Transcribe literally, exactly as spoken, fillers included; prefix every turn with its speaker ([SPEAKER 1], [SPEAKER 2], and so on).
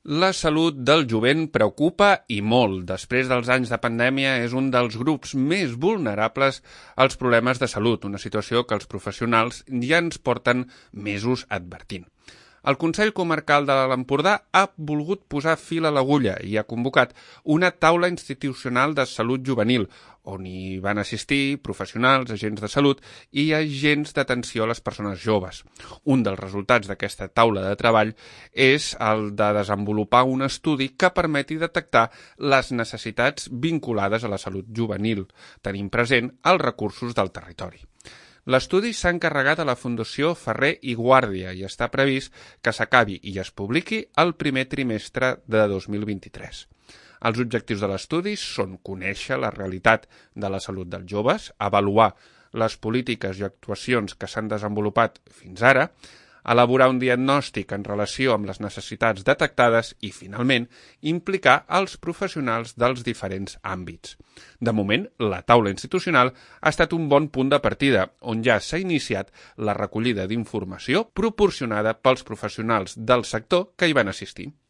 [SPEAKER 1] La salut del jovent preocupa i molt. Després dels anys de pandèmia és un dels grups més vulnerables als problemes de salut, una situació que els professionals ja ens porten mesos advertint. El Consell Comarcal de l'Empordà ha volgut posar fil a l'agulla i ha convocat una taula institucional de salut juvenil, on hi van assistir professionals, agents de salut i agents d'atenció a les persones joves. Un dels resultats d'aquesta taula de treball és el de desenvolupar un estudi que permeti detectar les necessitats vinculades a la salut juvenil, tenint present els recursos del territori. L'estudi s'ha encarregat a la Fundació Ferrer i Guàrdia i està previst que s'acabi i es publiqui el primer trimestre de dos mil vint-i-tres. Els objectius de l'estudi són conèixer la realitat de la salut dels joves, avaluar les polítiques i actuacions que s'han desenvolupat fins ara, elaborar un diagnòstic en relació amb les necessitats detectades i, finalment, implicar els professionals dels diferents àmbits. De moment, la taula institucional ha estat un bon punt de partida, on ja s'ha iniciat la recollida d'informació proporcionada pels professionals del sector que hi van assistir.